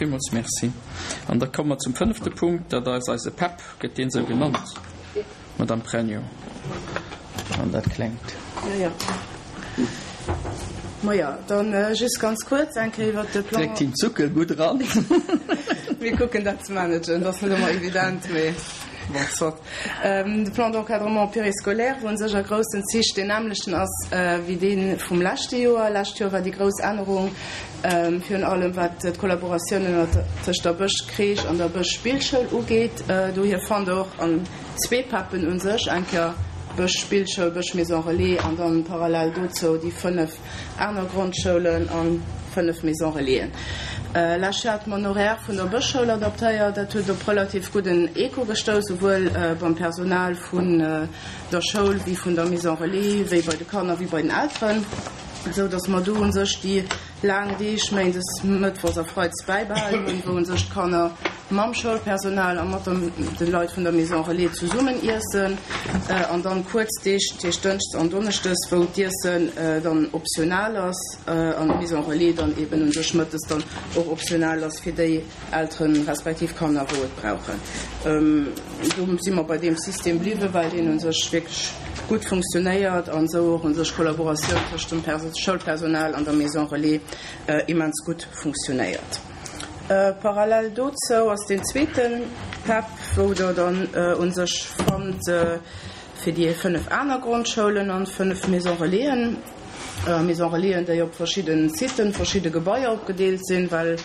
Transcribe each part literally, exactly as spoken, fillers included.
Villmools merci. An da komme mer zum fënnefte Punkt, dat ass eise PEP, gëtt deen esou genannt, Madame Pregno, an dat klengt. Jo, jo. Maja, dann just ganz kuerz eng Kéier iwwert de Plan. Dréckt him d'Zuckel gutt eran. Mir kucken dat ze managen, dat ass net ëmmer evident, mee bon, soit. De Plan d'encadrement périscolaire, wou u sech a groussen Zich deen nämmlechten ass wéi dee vum leschte Joer. Lescht Joer war déi grouss Ännerung virun allem wat d'Kollaboratioun ënnert tëscht der Bësch-Crèche an der Bësch-Spillschoul ugeet. Dohier fannt Der och an zwee PEPen u sech eng Kéier Bësch Spillschoul, Bësch Maison Relais an dann parallel dozou déi fënnef aner Grondschoulen an fënnef Maison Relaisen. Lescht Joer hate mer en Horaire vun der Bëschschoul adaptéiert. Dat huet op relativ gudden Echo gestouss, souwuel beim Personal vun der Schoul wéi vun der Maison Relais, wéi bei de Kanner wéi bei den Elteren, esou dass mer do u sech déi laang Deeg, méindes, mëttwochs a freides, bäibehalen hunn, wou u sech d'Kanner mam Schoulpersonal a mat de Leit vun der Maison Relais zesummen iessen, an dann kuerz Deeg, dat heescht dënschdes an donneschdes, wou d'Iessen dann optional ass an d'Maison Relais dann eben u sech mëttes dann och optional ass fir déi Elteren respektiv Kanner, wou et brauchen. Do si mer bei deem System bliwwen, well deen u sech wierklech gutt funktionéiert an esou och u sech d'Kollaboratioun tëscht dem Schoulpersonal an der Maison Relais immens gutt funktionéiert. Parallel dozou ass deen zweete PEP, wou Der dann u sech fannt fir déi fënnef aner Grondschoulen an fënnef Maison Relaisen, Maison Relaisen, déi op verschidde Siten, verschidde Gebaier opgedeelt sinn, well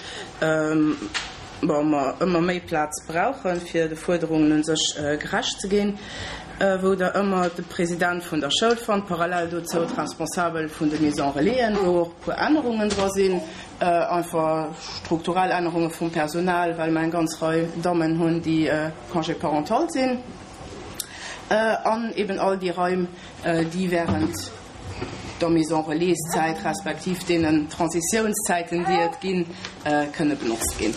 mer ëmmer méi Plaz brauchen, fir de Fuerderungen u sech gerecht ze ginn, wou Der ëmmer de President vun der Schoul fannt, parallel dozou d'Responsabel vun de Maison Relaisen, wou och e puer Ännerungen dra sinn, einfach strukturell Ännerunge vum Personal, well mer eng ganz Rei Dammen hunn, déi Congé parental sinn, an eben all déi Raim, déi während der Maison Relais-Zäit respektiv deenen Transitiounszäiten, déi et ginn, kënne benotzt ginn.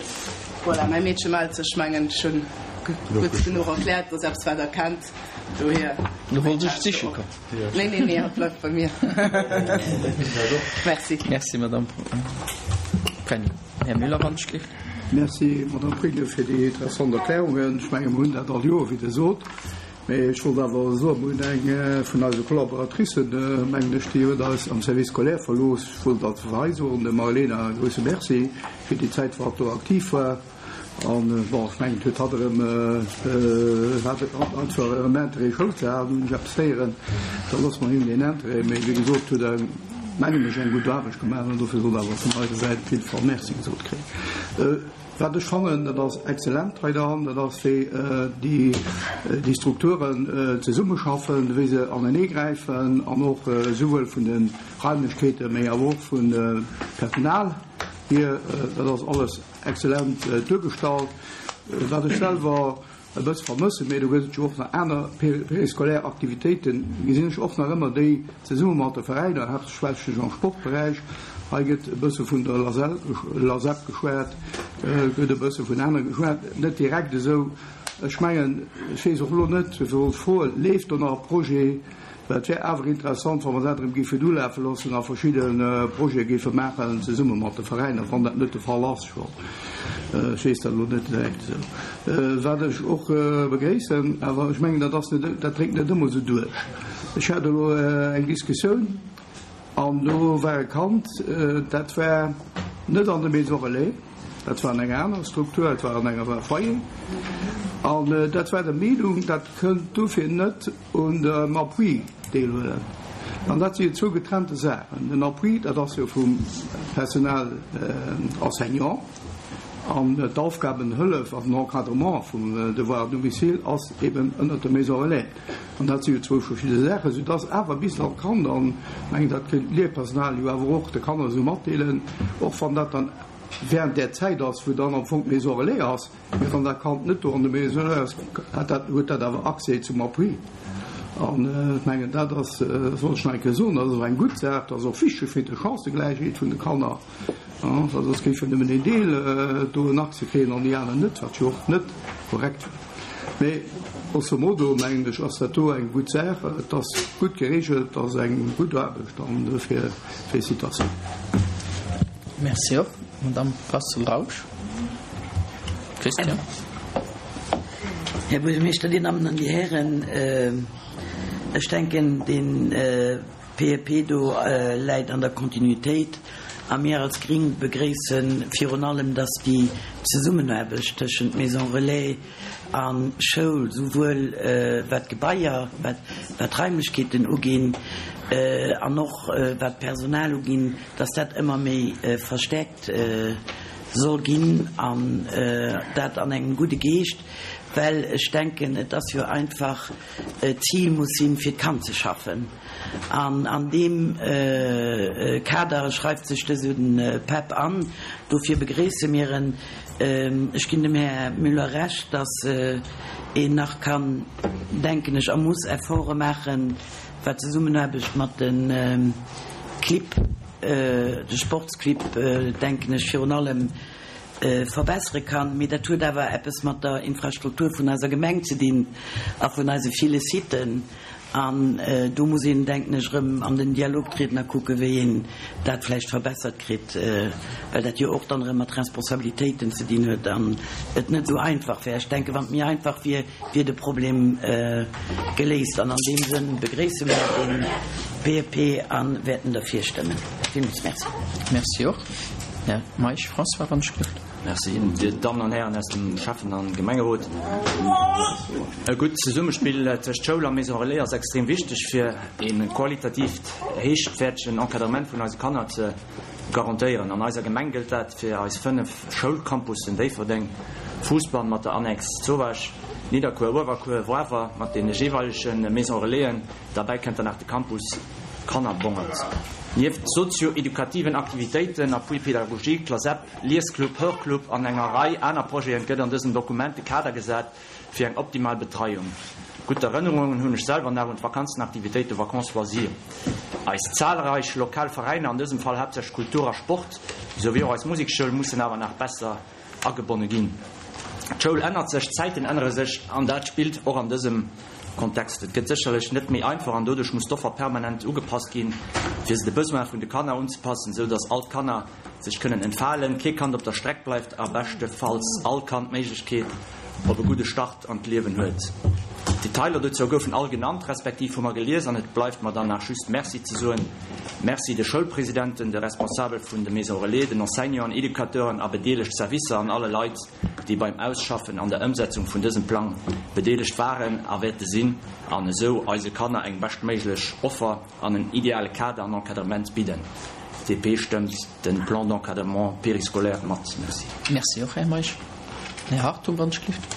Voilà, mäi Meedche mellt sech, ech mengen, ech hunn gutt genuch erkläert, dass eppes, wat Der kennt. Dohier. Du wollt ech siche kommen. Nee, nee, nee, hatt bleift bei mir. Merci. Merci, Madame Pregno. Här Müller, wann ech géif. Merci, Madame Pregno, fir déi interessant Erklärungen. Ech menge mer hunn dat all Joer, wéi Der sot. Mee ech wollt awer soen, mer hunn eng vun eise Collaboratricen, mengen ech, déi huet eis am Service scolaire verlooss. Ech wollt dat hei soen, dem Marlena e grouse Merci fir déi Zäit, wou hatt do aktiv war. An, bon, ech mengen, et huet hatt erëm, hat einfach erëm Interêt Schoul ze halen, hunn ech eppes héieren. Da loosse mer him deen Interêt. Mee wéi gesot, huet e, mengen ech, eng gutt Aarbecht gemaach an dofir soll awer vun eiser Säit op jidde Fall Merci gesot kréien. Wat ech fannen, dat ass exzellent hei dran, dat ass wéi déi, déi Strukturen zesummeschaffen, wéi se aneneegräifen an och esouwuel vun de Raimlechkeeten, mee awer och vum Personal hier, dat ass alles Excellent duergestallt. Wat ech selwer e bësse vermëssen, mee do gëtt et jo och nach aner périscolaire Aktivitéiten, gesinn ech och nach ëmmer déi zesumme mat de Veräiner, haaptsächlech am Sportberäich. Hei gëtt e bësse vun der LASEL, LASEP geschwat, gëtt e bësse vun anere geschwat, net direkt esou. Ech mengen, ech weess och elo net, dofir wollt ech froen, leeft do nach e Projet? Well et wär awer interessant, wa mer dat erëm géifen ulafe loossen a verschidde Projete géife maachen zesumme mat de Veräiner, wann dat net de Fall ass scho. Ech weess dat elo net direkt esou. Wat ech och begréissen, awer ech mengen, dat ass net, dat dréngt net ëmmer esou duerch. Ech hat elo eng Diskussioun an do war e Kand, dat war net an der Maison relais, dat war an enger anerer Struktur, dat war an enger Foyer, an dat war der Meenung, dat kënnt dofir net un dem Appui deelhuelen. An dat si jo zwou getrennte Saachen. Den Appui, dat ass jo vum Personnel enseignant, an d'Aufgabenhëllef an den Encadrement vum Devoir à domicile ass eben ënnert der Maison relais. An dat si jo zwou verschidde Saachen, soudass awer bis an d'Kand, an ech mengen, dat kéint d'Léierpersonal jo awer och de Kanner esou matdeelen, och wann dat dann während där Zäit ass, wou dann am Fong d'Maison relais ass, Mee wann dat Kand net do an de Maison ass, hat dat, huet dat awer Accès zum Appui. An ech mengen, dat ass, dat wollt ech nach eng Kéier soen, dat ass och eng gutt Saach, dat ass och wichteg fir d'Chancëgläichheet vun de Kanner, well soss géif jo nëmmen een Deel do en Accès kréien an déi aner net, wat jo och net korrekt wär. Mee grosso modo, mengen ech, ass dat do eng gutt Saach. Et ass gutt geregelt, et ass eng gutt Aarbecht an dofir Félicitatiounen. Merci och. Madamm Brassel-Rausch. Christian. Här Buergermeeschter, Dir Dammen an Dir Hären, ech denken, dee PEP do läit an der Kontinuitéit a mir als Gring begréisse virun allem, dass déi Zesummenaarbecht tëschent Maison Relais a Schoul, souwuel wat d'Gebaier, wat d'Raimlechkeeten uginn an och wat d'Personal uginn, dass dat ëmmer méi verstärkt soll ginn an dat an engem gudde Geescht, well ech denken, et ass jo einfach, d'Zil muss sinn, fir d'Kand ze schaffen. An an deem Kader schreift sech dëse PEP an. Dofir begréisse mir en. Ech ginn dem Här Müller Recht, dass een nach kann, denken ech, a muss Efforte maachen, wat d'Zesummenaarbecht mat de Clibb, de Sportsclibb, denken ech, virun allem verbessere kann. Mee dat huet awer eppes mat der Infrastruktur vun eiser Gemeng ze dinn a vun eise ville Siten. An do muss een, denken ech, erëm an den Dialog trieden a kucken, wéi een dat vläicht verbessert kritt, well dat jo och dann erëm mat Responsabilitéiten ze dinn huet an et net esou einfach wär. Ech denken, wann et méi einfach wier, wier de Problem geléist. An an deem Sënn begréisse mir dee PEP a wäerten derfir stëmmen. Villmools Merci. Merci och. Här Meisch François, wann ech gelift. Merci, Dir Dammen an Hären aus dem Schäffen an Gemengerot. E gutt Zesummespill tëscht Schoul a Maison Relais ass extrem wichteg fir e qualitativt héichwäertegen Encadrement vun eise Kanner ze garantéieren. An eiser Gemeng gëllt dat fir eis fënnef Schoulcampussen Déifferdeng, Fousbann mat der Annex Zowaasch, Nidderkuer, Uewerkuer, Wawer mat deene jeeweilege Maison Relaisen. Derbäi kënnt dann nach de Campus Kannerbongert. Nieft sozio-edukativen Aktivitéiten, Appui pédagogique, Lasep, Liesclub, Hörclub an enger Rei aner Projeten gëtt an dësem Dokument de Kader gesat fir eng optimal Betreiung. Gutt Erënnerungen hunn ech selwer nach un d'Vakanzenaktivitéite Vacances loisirs. Eis zahlreich lokal Veräiner, an dësem Fall haaptsächlech Kultur a Sport, souwéi och eis Musekschoul mussen awer nach besser agebonne ginn. D'Schoul ännert sech, d'Zäiten ännere sech an dat spillt och an dësem Kontext. Et gëtt sécherlech net méi einfach an doduerch muss d'Offer permanent ugepasst ginn, fir se de Besoine vun de Kanner unzepassen, sou datt all d'Kanner sech kënnen entfalen, kee Kand op der Streck bleift a beschtefalls all Kand d'Méiglechkeet op e gudde Start an d'Liewen huet. D'Detailer dozou goufen all genannt, respektiv hu mer gelies an et bleift mer dann nach just Merci ze soen. Merci de Schoulpresidenten, de Responsabel vun de Maisons Relais, den Enseignanten, Educateuren a bedeelegt Servicer an alle Leit, déi beim Ausschaffen an der Ëmsetzung vun dësem Plang bedeelegt waren a wäerte sinn an esou eise Kanner eng beschtméiglech Offer an en ideale Kader an Encadrement bidden. D P stëmmt de Plan d'encadrement périscolaire mat. Merci. Merci och, Här Meisch. Här Hartung, wann ech gelift.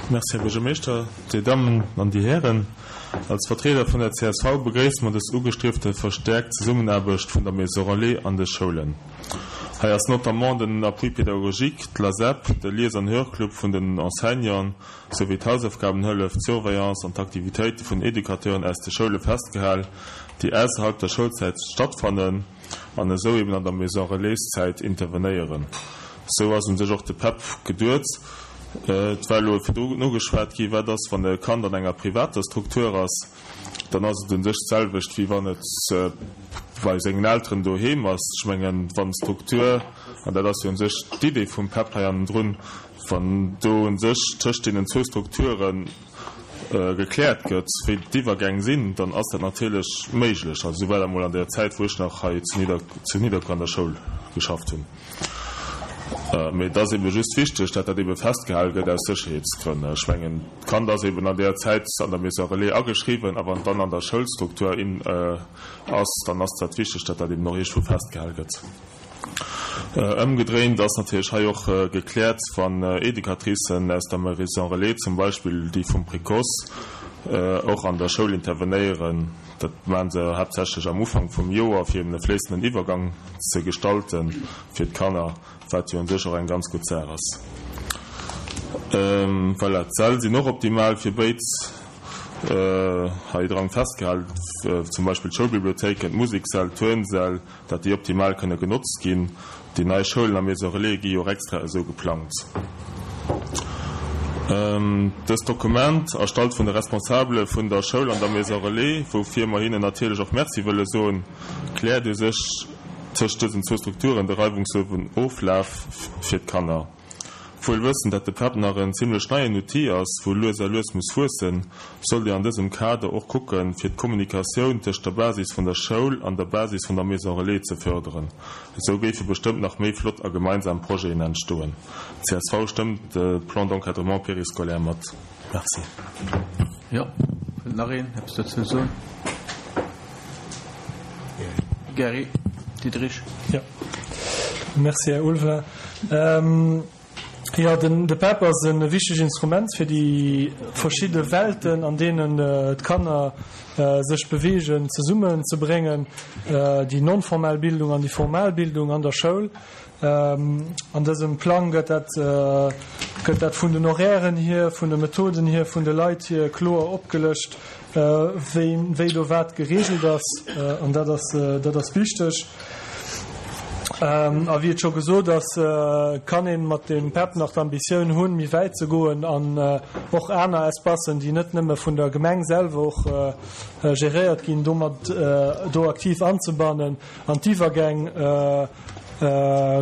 Merci, Här Buergermeeschter, Dir Dammen an Dir Hären. Als Vertrieder vun der C S V begréisse mer dës ugestriefte verstäerkt Zesummenaarbecht vun der Maison Relais an de Schoulen. Hei ass notamment den Appui pédagogique, d'LASEP, de Lies- an Hörclub vun den Enseignanten, souwéi d'Hausaufgabenhëllef, d'Surveillance an d'Aktivitéite vun Educateuren aus de Schoule festgehal, déi ausserhalb der Schoulzäit stattfannen an esou eben an der Maison Relais-Zäit intervenéieren. Sou ass un sech och de PEP geduet. Et war elo virdru nogeschwat gi wat ass, wann e Kand an enger privater Struktur ass, dann ass et un sech d'selwecht, wéi wann et bei sengen Elteren doheem ass. Ech mengen, wann d'Struktur, an dat ass jo un sech d'Idee vum PEP hei hannendrun, wann do un sech tëscht deenen zwou Strukture gekläert gëtt, wéi d'Iwwergäng sinn, dann ass dat natierlech méiglech. Also esou war dat mol an der Zäit, wou ech nach hei zu Nidder zu Nidderkuer an der Schoul geschafft hunn. Mee et ass ebe just wichteg, datt dat ebe festgehale gëtt aus Sécherheetsgrënn. Ech mengen, d'Kand ass eben an där Zäit an der Maison Relais ageschriwwen a wann et dann an der Schoulstruktur ass, dann ass dat wichteg, datt dat eben och iergendwou festgehale gëtt. Ëmgedréint ass natierlech hei och gekläert, wann Educatricen aus der Maison Relais, zum Beispill déi vum Précoce, och an der Schoul intervenéieren. Dat maache se haaptsächlech am Ufank vum Joer, fir eben e fléissenden Iwwergang ze gestalten fir d'Kanner, wat jo un sech och eng ganz gutt Saach ass. Voilà, d'Säll sinn och optimal fir béid hei dran festgehalen, zum Beispill d'Schoulbibliothéiken, d'Musiksäll, d'Turnsäll, dat déi optimal kënne genotzt ginn. Déi nei Schoulen a Maison Relais gi jo och extra esou geplangt. Dëst Dokument, erstallt vun de Responsabele vun der Schoul an der Maison Relais, woufir mer hinnen natierlech och Merci wëlle soen, kläert u sech tëscht dësen zwou Strukturen de reiwungslosen Oflaf fir d'Kanner. Wuel wëssend, dat de PEP nach en zimlech neien Outil ass, wou lues a lues muss wuessen, sollt een an dësem Kader och kucken, fir d'Kommunikatioun tëscht der Basis vun der Schoul an der Basis vun der Maison Relais ze fërderen. Esou géife bestëmmt nach méi flott a gemeinsam Projeten entstoen. Csv stëmmt de Plan d'encadrement périscolaire mat. Merci. Jo, wëllt nach een eppes dozou soen? Gary Diderich. Jo. Merci, Här Ulveling. Jo, den de PEP ass e wichtegt Instrument fir déi verschidde Welten, an deenen d'Kanner sech beweegen, zesummenzebréngen, déi non-formell Bildung an déi formal Bildung an der Schoul. An dësem Plang gëtt dat gëtt dat vun den Horairen hier, vun de Methoden hier, vun de Leit hier kloer opgelëscht, wéi wéi do wat geregelt ass. An dat ass dat ass wichteg. A wéi et scho gesot ass, kann ee mat dem PEP nach d'Ambitioun hunn, méi wäit ze goen an och aner Espacen, déi net nëmme vun der Gemeng selwer och geréiert ginn, domat do aktiv anzebannen an d'Iwwergäng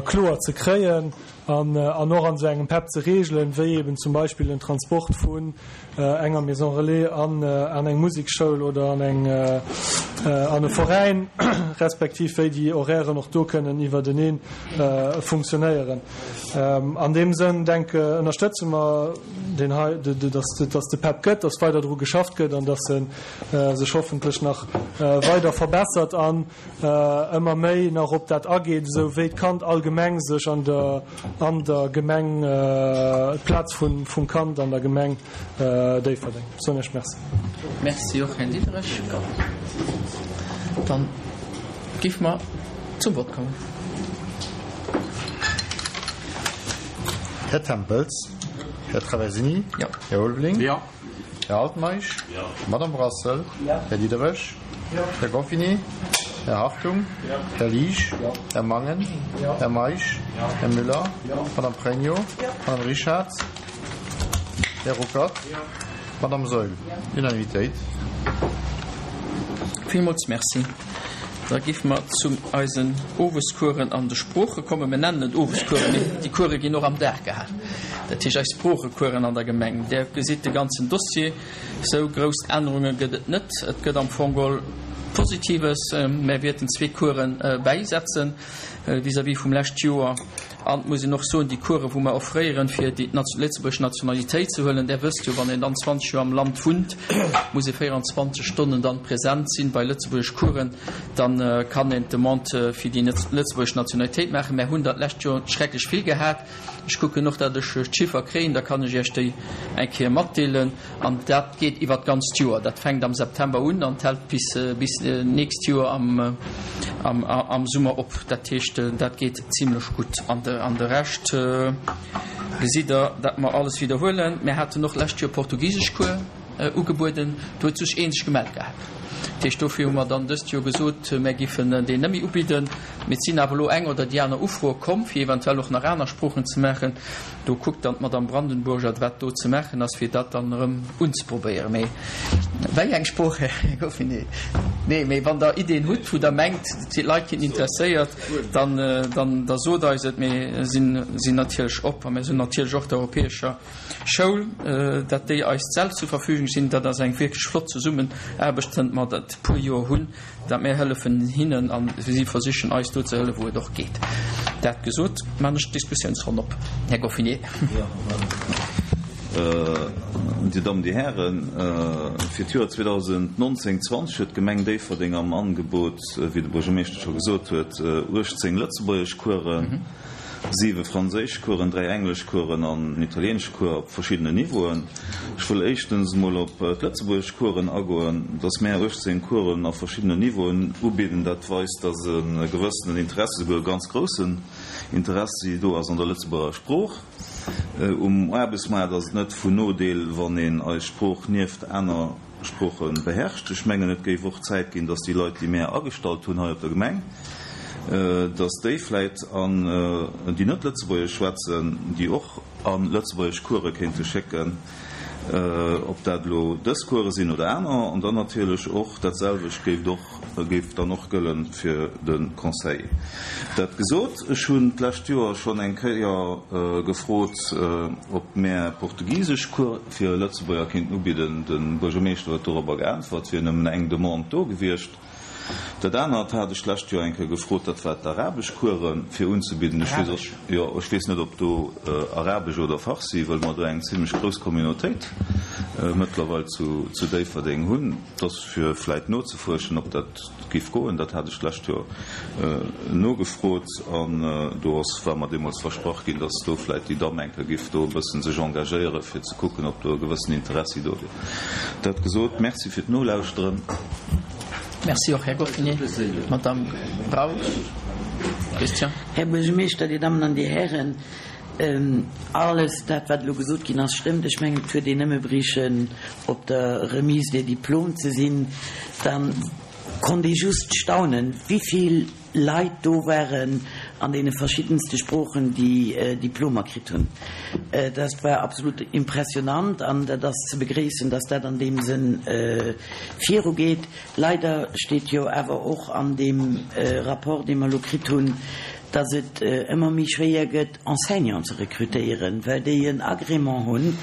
kloer ze kréien an an och an esou engem PEP ze reegelen, wéi eben zum Beispill den Transport vun enger Maison Relais an an eng Musekschoul oder an eng an e Veräin, respektiv wéi déi Horairen och do kënnen iwwertenee funktionéieren. An deem Sënn denke ënnerstëtze mer deen hei, dass dass de PEP gëtt, dass weider dru geschafft gëtt an dass e sech hoffentlech nach weider verbessert an ëmmer méi nach op dat ageet, esou wéi d'Kand allgemeng sech an der an der Gemeng, d'Plaz vun vum Kand an der Gemeng Déifferdeng. Soen ech Merci. Merci och, Här Diderich. Dann géife mer zum Vott kommen. Här Tempels. Här Traversini. Jo. Här Ulveling. Jo. Här Altmeisch. Jo. Madame Brassel. Jo. Här Diderich. Jo. Här Goffini. Här Hartung. Jo. Här Liesch. Jo. Här Mangen. Jo. Här Meisch. Jo. Här Müller. Jo. Madame Pregno. Jo. Madame Richard. Här Ruckert. Jo. Madame Saeul. Jo. Unanimitéit. Villmools Merci. Da géife mer zu eisen Owescoursen an de Sprooche kommen. Mir nennen et Owescoursen, mee déi Course ginn och am Dag gehal. Dat heescht eis Sproochecoursen an der Gemeng. Där gesitt de ganzen Dossier. Sou grouss Ännerunge gëtt et net. Et gëtt am Fong geholl Positives. Mär wäerten zwee Coursen bäisetzen vis-à-vis vum lescht Joer. An et muss een och soen, déi Coursen, wou mer offréieren, fir déi lëtzebuergesch Nationalitéit ze huelen, Där wësst jo, wann een dann zwanzeg Joer am Land wunnt, muss ee véierundzwanzeg Stonnen dann present sinn bei lëtzebuergesch Coursen, dann kann een d'Demande fir déi lëtzebuergesch Nationalitéit maachen. Mär hunn der d'lescht Joer schrecklech vill gehat. Ech kucken och, datt ech d'Chiffer kréien, da kann ech Iech déi eng Kéier matdeelen. An dat geet iwwer d'ganzt Joer. Dat fänkt am September un an hält bis bis nächst Joer am am am Summer op. Dat heescht, dat geet zimlech gutt. An de an de Rescht gesitt Der, datt mer alles widderhuelen. Mir haten och lescht Joer Portugiseschcours ugebueden. Do huet sech een sech gemellt gehat. Dat heescht, dofir hu mer dann dëst Joer gesot, mär giffen deen net méi ubidden. Mee et sinn awer elo eng oder déi aner Ufroe komm, fir eventuell och nach aner Sproochen ze maachen. Do kuckt dann d'Madame Brandenburger, wat do ze maachen ass, fir dat dann erëm unzeprobéieren. Mee wéi eng Sprooch, Här Goffinet? Nee, mee wann Der Iddien hutt, wou Der mengt, d'Leit ginn interesséiert, dann, dann, da sot eis et. Mir sinn, sinn natierlech op a mir sinn natierlech och der Europäescher Schoul, datt déi eis d'Säll zur Verfügung stinn. Dat ass eng wierklech flott Zesummenaarbecht, zënter mer dat e puer Joer hunn, datt mir hëllefen hinnen a si versichen eis do ze hëllefen, wou et och geet. Dat gesot, maan ech d'Diskussiounsronn op. Här Goffinet. Dir Dammen, Dir Hären, fir d'Joer zweedausendnonzéng zwanzeg huet d'Gemeng Déifferdeng am Angebot, wéi de Buergermeeschter scho gesot huet, uechtzéng Lëtzebuergeschcoursen, siwe Franséischcoursen, dräi Engleschcoursen an en Italieeneschcours op verschiddenen Niveauen. Ech wëll éischtens emol op d'Lëtzebuergeschcoursen agoen. Dass mär uechtzéng Coursen a verschiddenen Niveauen ubidden, dat weist, dass e gewëssenen Interessi, souguer e ganz groussen Interessi do ass an der Lëtzebuerger Sprooch. Um Aarbechtsmaart ass et net vun Nodeel, wann een eis Sprooch nieft aner Sprooche beherrscht. Ech mengen, et géif och Zäit ginn, dass déi Leit, déi mär agestallt hunn hei op der Gemeng, dass déi vläit an déi net Lëtzebuergesch schwätzen, déi och a lëtzebuergesch Course kéinte schécken, ob dat elo dës Course sinn oder aner. An dann natierlech och dat selwecht géif et och géif dann och gëlle fir de Conseiller. Dat gesot, ech hunn d'lescht Joer schonn eng Kéier gefrot, ob mär portugisesch Cours fir Lëtzebuerger kéinten ubidden. De Buergermeeschter huet dorobber geäntwert, et wier nëmmen eng Demande do gewiescht. Dat anert hat ech d'lescht Joer eng Kéier gefrot, dat war d'arabesch Coursen fir unzebidden. Ech weess och, jo, ech weess net, ob do Arabesch oder Farsi, wëll mer do eng zimlech grouss Communautéit mëttlerweil zu, zu Déifferdeng hunn. Dat ass fir vläit nozefuerschen, ob dat géif goen. Dat hat ech d'lescht Joer nogefrot an do ass, war mer deemools versprach ginn, dass do vläit déi Damm eng Kéier géif do e bëssen sech engagéieren, fir ze kucken, ob do e gewëssen Interessi do wier. Dat gesot, Merci fir d'Nolauschteren. Merci och, Här Goffinet. Madame Rausch. Christian. Här Buergermeeschter, Dir Dammen an Dir Hären, alles dat, wat elo gesot ginn ass, stëmmt. Ech mengen, et huet een nëmme briechen, op der Remise des diplômes ze sinn, da konnt ee just staunen, wivill Leit do waren an deene verschiddenste Sproochen, déi Diplomer kritt hunn. Dat war absolut impressionant an dat ass ze begréissen, dass dat an deem Sënn virugeet. Leider steet jo awer och an deem Rapport, dee mer elo kritt hunn, dass et ëmmer méi schwéier gëtt, Enseignanten ze rekrutéieren, well déi en Agrément hunn.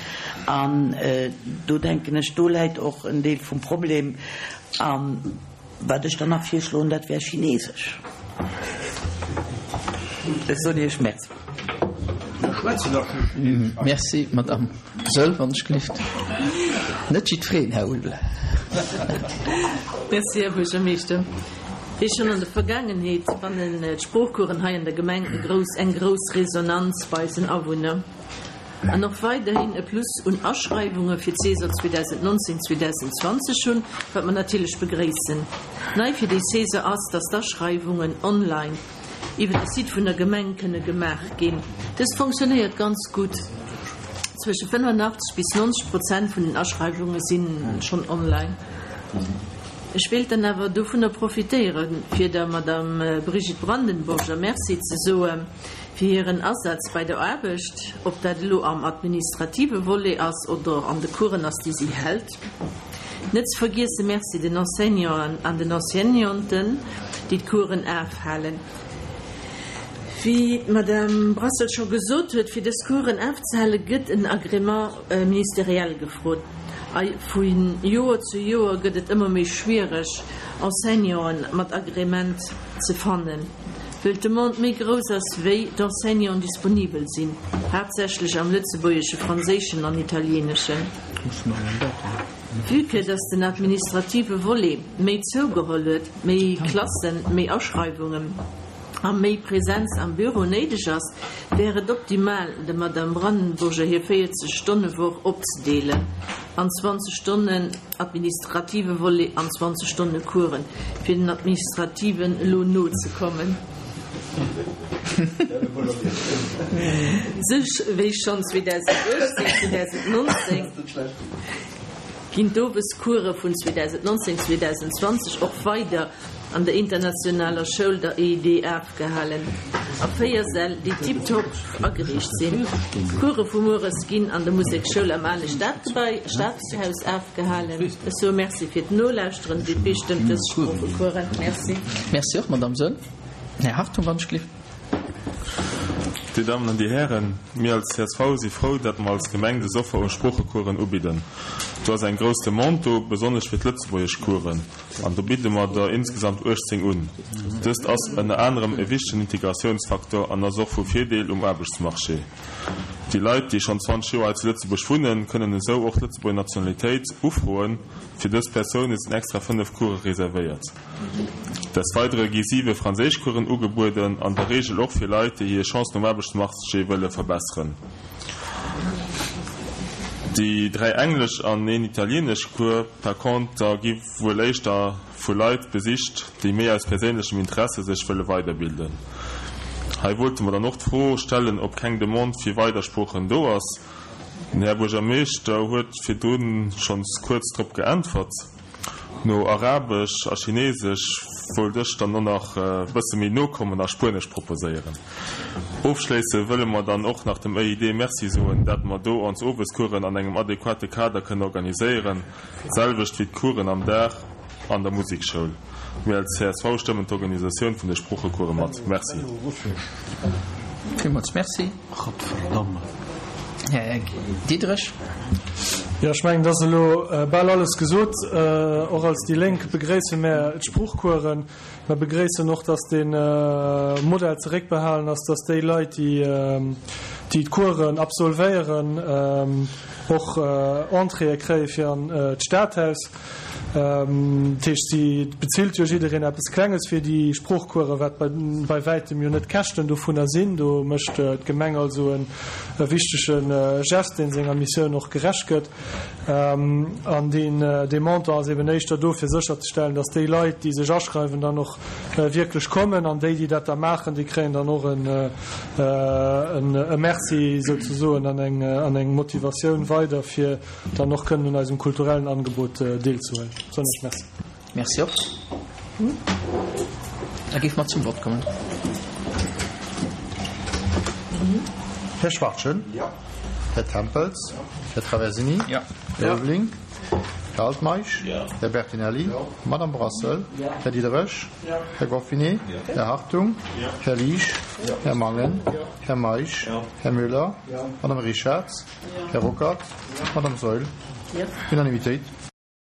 An do denken ech, do läit och en Deel vum Problem. An wat ech dann nach virschloen, dat wär Chinesesch. Ech soen Iech Merci. Merci, Madame Saeul, wann ech gelift. Net jiddwereen, Här Uhl. Merci, Här Buergermeeschter. Wéi schonn an der Vergaangenheet fannen d'Sproochcoursen hei an der Gemeng e grouss, eng grouss Resonanz bei eisen Awunner. An och weiderhin e Plus un Aschreiwunge fir d'Saison zweedausendnonzéng zweedausendzwanzeg hunn, wat mer natierlech begréissen. Nei fir déi Saison ass, dass d'Aschreiwungen online iwwer de Site vun der Gemeng kënne gemaach ginn. Dëst fonctionnéiert ganz gutt, zwësche fënnefenachtzeg bis nonzeg Prozent vun den Aschreiwunge si schonn online. Ech wéilt dann awer dovunner profitéieren, fir der Madame Brigitte Brandenburger Merci ze soe fir hiren Asaz bei der Aarbecht, ob dat elo am administrative Volet ass oder an de Coursen ass, déi si hält. Net ze vergiesse Merci den Enseignanten an den Enseignanten, déi d'Coursen afhalen. Wéi d'Madame Brassel scho gesot huet, fir dës Coursen afzehale gëtt en Agrément ministériel gefrot. A vu Joer zu Joer gëtt et ëmmer méi schwiereg, Enseignanten mat Agrément ze fannen, wëll d'Demande méi grouss ass, wéi d'Enseignanten disponibel sinn, haaptsächlech am Lëtzebuergeschen, Franséischen an Italieeneschen. Vue que dass den administrative Volet méi zougeholl huet, méi Klassen, méi Aschreiwungen a méi Präsenz am Büro néideg ass, wär et optimal, der Madame Brandenburger hir véierzeg-Stonne-Woch opzedeelen an zwanzeg Stonnen administrative Volet an zwanzeg Stonne Coursen, fir den administrativen elo nozekommen. Sech wéi schonn zweedausenduechtzéng, zweedausennonzéng ginn d'Owescourse vun zweedausennnonzéng, zweedausendzwanzeg och weider an der internationaler Schoul, der E I D, afgehalen, a véier Säll, déi tiptop ageriicht sinn. D'Course vu mueres ginn an der Museksschoul am ale Stadgebai, Stadhaus afgehalen. Ech soe Merci fir d'Nolauschteren. D P stëmmt dës Sproochecoursen. Merci. Merci och, Madamm Saeul. Här Hartung, wann ech gelift. Dir Dammen an Dir Hären, mir als C S V si frou, datt mer als Gemeng des Offer u Sproochecoursen ubidden. Do ass eng grouss Demande do, besonnesch fir d'Lëtzebuergeschcoursen, an do bidde mer der insgesamt uechtzéng un. Dëst ass ënner anerem e wichtegen Integratiounsfaktor an ass och vu Virdeel um Aarbechtsmarché. Déi Leit, déi schonn zwanzeg Joer hei zu Lëtzebuerg wunnen, kënnen esou och d'Lëtzebuerger Nationalitéit ufroen. Fir dës Persoune sinn extra fënnef Course reservéiert. Des Weidere gi siwe Franséischcoursen ugebueden, an der Reegel och fir Leit, déi hir Chancen um Aarbechtsmarché wëlle verbesseren. Déi dräi Englesch an een Italieeneschcours par conter gi wuel éischter vu Leit besicht, déi méi aus perséinlechem Interesse sech wëlle weiderbilden. Hei wollte mer dann och d'Fro stellen, ob keng Demande fir weider Sproochen do ass. Den Här Buergermeeschter huet virdrun schonns kuerz drop geäntwert. No Arabesch a Chinesesch wollt ech dann och nach e bësse méi no kommen a Spuenesch proposéieren. Ofschléisse wëlle mer dann och nach dem E I D Merci soen, dat mer do ons Owescoursen an engem adequate Kader kënnen organiséieren, d'selwecht wéi d'Coursen am Dag. an der Musekschoul. Mir als C S V stëmmen d'Organisatioun vun de Sproochecourse mat. Merci. Villmools merci. Här Diderich. Jo, ech mengen, et ass elo bal alles gesot. Och als déi Lénk begréisse mär d'Sproochcoursen. Mer begréissen och, dass de Modell zeréckbehalen ass, dass déi Leit, déi d'Coursen absolvéieren, och Entréeë kréie fir an d'Stadhaus. Dat heescht, si bezilt jo jiddereen eppes Klenges fir déi Sproochcoursen, wat bei wäitem jo net d'Käschten dovunner sinn. Do mécht d'Gemeng also e wichtege Gest, dee senger Missioun och gerecht gëtt. An dee Montant ass eben éischter do, fir sécherzestellen, datt déi Leit, déi sech aschreiwen, dann och wierklech kommen. An déi, déi dat da maachen, déi kréien dann och e Merci souzesoen an eng Motivatioun weider, fir dann och kënnen un eisem kulturellen Angebot deelzehuelen. Soen ech Merci. Merci och. Da géife mer zum Vott kommen. Här Schwachtgen. Här Tempels. Här Traversini. Här Ulveling. Här Altmeisch. Här Bertinelli. Madame Brassel. Här Diderich. Här Goffinet. Här Hartung. Här Liesch. Här Mangen. Här Meisch. Här Müller. Madame Richarz. Här Ruckert. Madame Saeul. Unanimitéit.